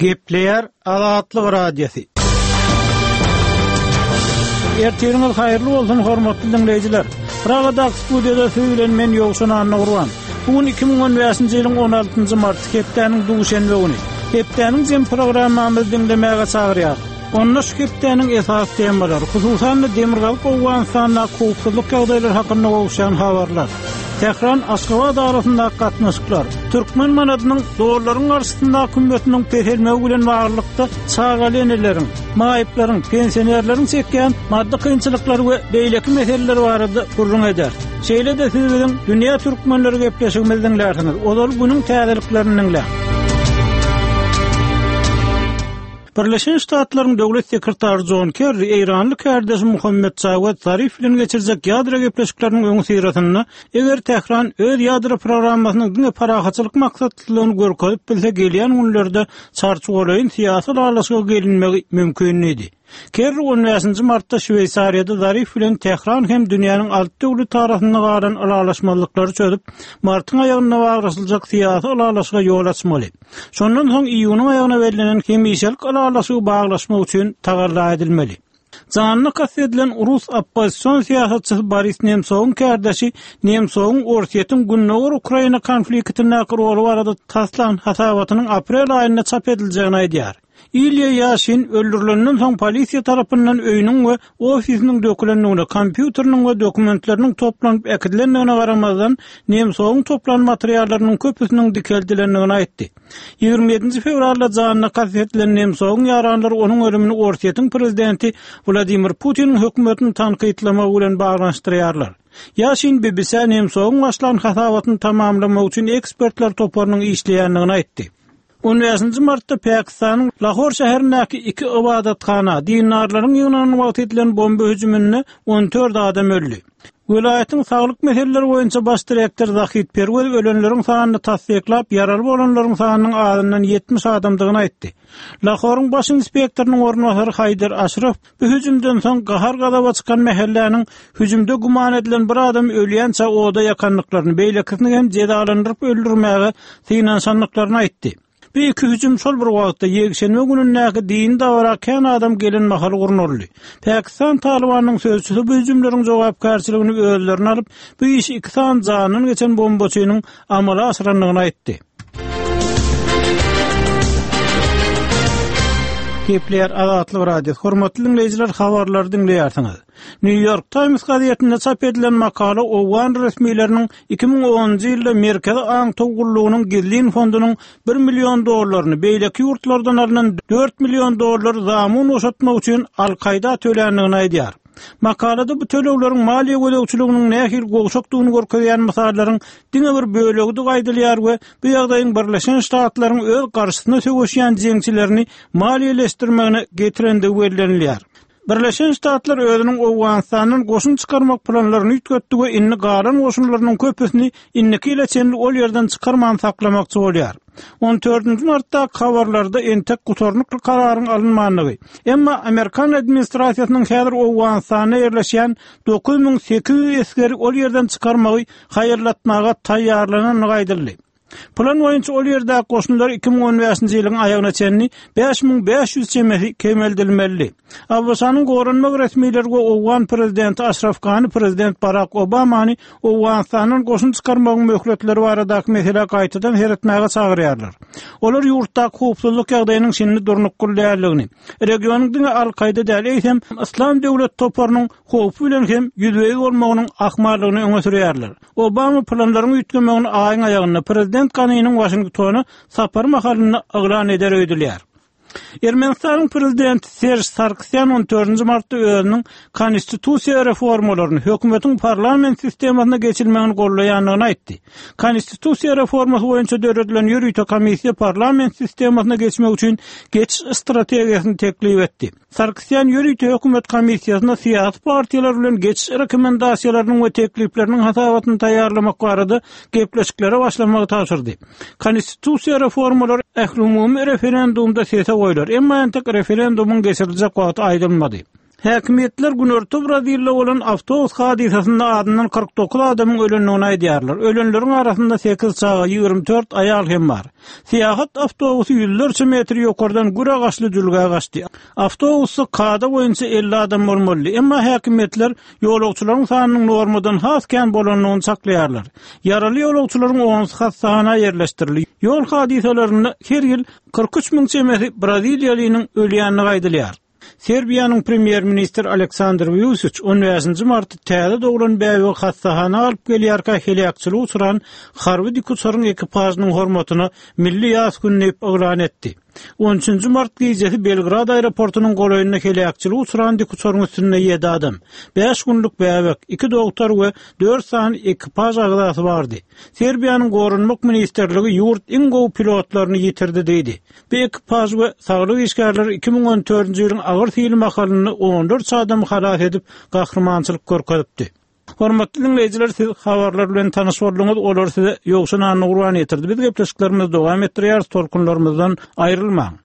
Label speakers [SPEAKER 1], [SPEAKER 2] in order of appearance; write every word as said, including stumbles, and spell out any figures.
[SPEAKER 1] Gepleýär Azatlyk Radiosy. Ertiriňiz haýyrly bolsun, hormatly diňleýjiler. Pragadaky studiýada siz bilen men Ýowşan Annagurban. Bu gün iki müň on bäşinji ýylyň on altynjy marty, hepdäniň duşenbe güni. Hepdäniň jem programmamyzy diňlemäge çagyrýar. Onda şu hepdäniň esasy temalary, hususan-da Demirgazyk Owganystandaky howpsuzlyk ýagdaýlary hakynda gowuşýan habarlar, Tähran Aşgabat arasyndaky gatnaşyklar, türkmen manadynyň dollaryň garşysyndaky hümmetiniň peselmegi bilen baglylykda çagaly eneleriň, maýyplaryň, pensionerleriň çekýän maddy kynçylyklary we beýleki meseleler barada gürrüň eder. Şeýle-de siz biziň Dünýä Türkmenleri gepleşigimizi diňlärsiňiz. Ozal günüň täzeliklerini diňläň. Birleşen Ştatlaryň Döwlet sekretary John Kerry Eýranly kärdeşi Muhammed Jawad Zarif bilen geçirjek ýadro gepleşikleriniň öňi syrasynda, eger Tähran öz ýadro programmasynyň diňe parahatçylyk maksatlylygyny görkezip bilse, gelýän günlerde çarçuwalaýyn syýasy ylalaşyga gelinmegi mümkin diýdi. Kerry on bäşinji martda Şweýsariýada Zarif bilen Tähran hem dünýäniň alty döwleti arasynda galan ylalaşmazlyklary çözüp, martyň aýagynda baglaşyljak syýasy ylalaşyga ýol açmaly. Şondan soň iýunyň aýagyna bellenen hemişelik ylalaşygy baglaşmak üçin tagalla edilmeli. Janyna kast edilen rus oppozision syýasatçysy Boris Nemsowyň kärdeşi Nemsowyň Orsýetiň Gündogar Ukraina konfliktindäki roly barada taslan hasabatynyň aprel aýynda çap ediljegini aýdýar. Ilýa Ýaşin öldürilenden soň polisiýa tarapyndan öýüniň we ofisiniň dökülendigine, kompýuteriniň we dokumentleriniň toplanyp äkidilendigine garamazdan, Nemsowyň toplan materiallarynyň köpüsiniň dikeldilendigini aýtdy. Ýigrimi ýedinji fewralda janyna kast edilen Nemsowyň ýaranlary onuň ölümini Orsýetiň prezidenti Wladimir Putiniň hökümetini tankytlamagy bilen baglanyşdyrýarlar. Ýaşin B B C Nemsowyň başlan hasabatyny tamamlamak üçin ekspertler toparynyň işleýändigini aýtdy. On bäşinji martda Pakistanyň Lahor şäherindäki iki ybadathana dindarlaryň ýygnanan wagty edilen bomba hüjüminde on dört adam öldi. Welaýatyň saglyk meseleleri boýunça baş direktor Zahid Perwez ölenleriň sanyny tassyklap, ýaraly bolanlaryň sanynyň azyndan ýetmiş adamdygyny aýtdy. Lahoryň baş inspektorynyň orunbasary Haýdar Aşraf bu hüjümden soň gahar gazaba çykan mähelläniň hüjümde güman edilen bir adam ölýänçä oda ýakandyklaryny, beýlekisini hem jezalandyryp öldürmäge synanyşandyklaryny aýtdy. Bu iki hüjüm şol bir wagtda ýekşenbe günündäki dini dabara kän adam gelen mahaly gurnaldy. Pakistan Talybanyň sözçüsi bu hüjümleriň jogapkärçiligini özlerine alyp, bu işi iki sany jandan geçen bombaçynyň amala aşyrandygyny aýtdy. Gepleýär Azatlyk Radiosy. Hormatly dinleýjiler, habarlary diňleýärsiňiz. New York Times gazetinde çap edilen makala Owgan resmileriniň iki müň onunjy ýylda Merkezi Aňtaw gullugynyň gizlin fondunyň bir million dollaryny beýleki ýurtlardan alynan dört million dollar zamun boşatmak üçin Al-Kaýda töländigini aýdýar. Makalada bu tölegleriň maliýe gözegçiliginiň nähili gowşakdygyny görkezýän mysallaryň diňe bir bölegidigi aýdylýar we bu ýagdaýyň Birleşen Ştatlaryň öz garşysyna söweşýän jeňçilerini maliýeleşdirmegine getirendigi bellenilýär. Birleşen Ştatlar özüniň Owganystandan goşun çykarmak planlaryny üýtgetdi we indi galan goşunlarynyň köpüsini indiki ýyla çenli ol ýerden çykarman saklamakçy bolýar. On dördünji martda habarlarda entek gutarnykly kararyň alynmandygy, emma Amerikan administrasiýasynyň häzir Owganystanda ýerleşýän dokuz müň sekiz ýüz esgeri ol ýerden çykarmagy haýyrlatmaga taýýarlanandygy aýdyldy. Plan boýunça ol ýerdäki goşunlar iki müň on bäşinji ýylyň aýagyna çenli bäş müň bäş ýüz çemesi kemeldilmeli. ABŞ-nyň goranmak resmileri we Owgan prezidenti Aşraf Gani prezident Barak Obamany Owganystandan goşun çykarmagyň möhletleri baradaky meselä gaýtadan seretmäge çagyrýarlar. Olar ýurtdaky howpsuzlyk ýagdaýynyň şindi durnukly däldigini, regionyň diňe Al-Kaýda däl, eýsem Yslam döwlet toparynyň howpy bilen hem ýüzbe-ýüz bolmagynyň ahmallygyny öňe sürýärler. Obama planlaryň üýtgemegini aýyň aýagynda prezident Ganiniň Waşingtona sapary mahalynda yglan eder öýdülýär. Ermenistanyň prezidenti Serj Sarkisýan on dördünji martda özüniň konstitusiýa reformalaryny hökümetiň parlament sistemasyna geçilmegini gollaýandygyny aýtdy. Konstitusiýa reformasy boýunça döredilen ýörite komissiýa parlament sistemasyna geçmek üçin geçiş strategiýasyny teklip etdi. Sarkisýan ýörite hökümet komissiýasyna syýasy partiýalar bilen geçiş rekomendasiýalarynyň we teklipleriniň hasabatyny taýýarlamak barada gepleşiklere başlamagy tabşyrdy. Konstitusiýa reformalary ählumumy referendumda sese goýlar, emma entek referendumyň geçiriljek wagty aýdylmady. Häkimiýetler günorta Brazilde bolan awtobus hadysasynda azyndan kyrk dokuz adamyň ölendigini aýdýarlar. Ölenleriň arasynda sekiz çaga, ýigrimi dört aýal hem bar. Syýahat awtobusy ýüzlerçe metr ýokardan gür agaçly jülgä gaçdy. Awtobusda kada boýunça elli adam bolmalydy, emma häkimiýetler ýolagçylaryň sanynyň normadan has kän bolandygyny çaklaýarlar. Ýaraly ýolagçylaryň onusy hassahana ýerleşdirildi. Ýol hadysalarynda her ýyl kyrk üç müň çemesi braziliýalynyň ölýändigi aýdylýar. Serbiýanyň premýer-ministri Aleksandr Wuçiç on bäşinji martda täze doglan bäbegi hassahana alyp gelýärkä heläkçilige uçran harby dikuçaryň ekipažynyň hormatyna milli ýas güni diýip yglan etdi. On üçünji mart gijesi Belgrad aeroportunyň golaýynda heläkçilige uçran dikuçaryň üstünde ýedi adam, bäş günlük bäbek, iki dogtor we dört sany ekipaž agzasy bardy. Serbiýanyň Goranmak ministrligi ýurt iň gowy pilotlaryny ýitirdi diýdi. Bu ekipaž we saglyk işgärleri iki müň on dördünji ýylyň agyr sil mahalynda on dört adamy halas edip, gahrymançylyk görkezipdi. Hormatly dinleýjiler, siz habarlar bilen tanyş bolduňyz, olar size Ýowşan Annagurban ýetirdi. Biz gepleşiklerimizi dowam etdirýäris, tolkunlarymyzdan aýrylmaň.